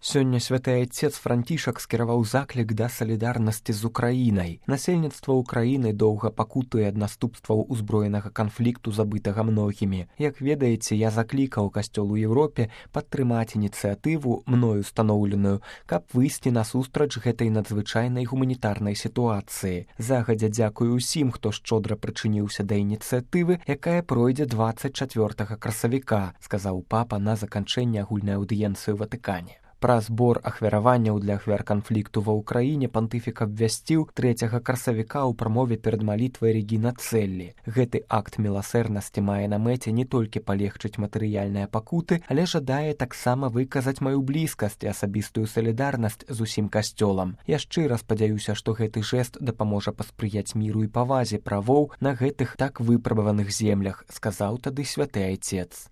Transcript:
Сёння святы айцец Францішак скіраваў заклік да салідарнасці з Украінай. Насельніцтва Украіны доўга пакутуе ад наступстваў узброенага канфлікту, забытага многімі. Як ведаеце, я заклікаў касцёл у Еўропе падтрымаць ініцыятыву, мною устаноўленую, каб выйсці насустрач гэтай надзвычайнай гуманітарнай сітуацыі. Загадзя дзякую ўсім, хто шчодра прычыніўся да ініцыятывы, якая пройдзе 24 красавіка, сказаў папа на заканчэнні агульнай аўдыенцыі ў Ватыкане. Пра збор ахвяраванняў для ахвяр канфлікту ва ўкраіне пантыфік абвясціў 3 красавіка ў прамове перад малітвай Регіна Цэллі. Гэты акт міласэрнасці мае на мэце не толькі палегчыць матэрыяльныя пакуты, але жадае таксама выказаць маю блізкасць і асабістую салідарнасць з усім касцёлам. Я шчыра спадзяюся, што гэты жэст дапаможа паспрыяць міру і павазе правоў на гэтых так выпрабаваных землях, сказаў тады святы айцец.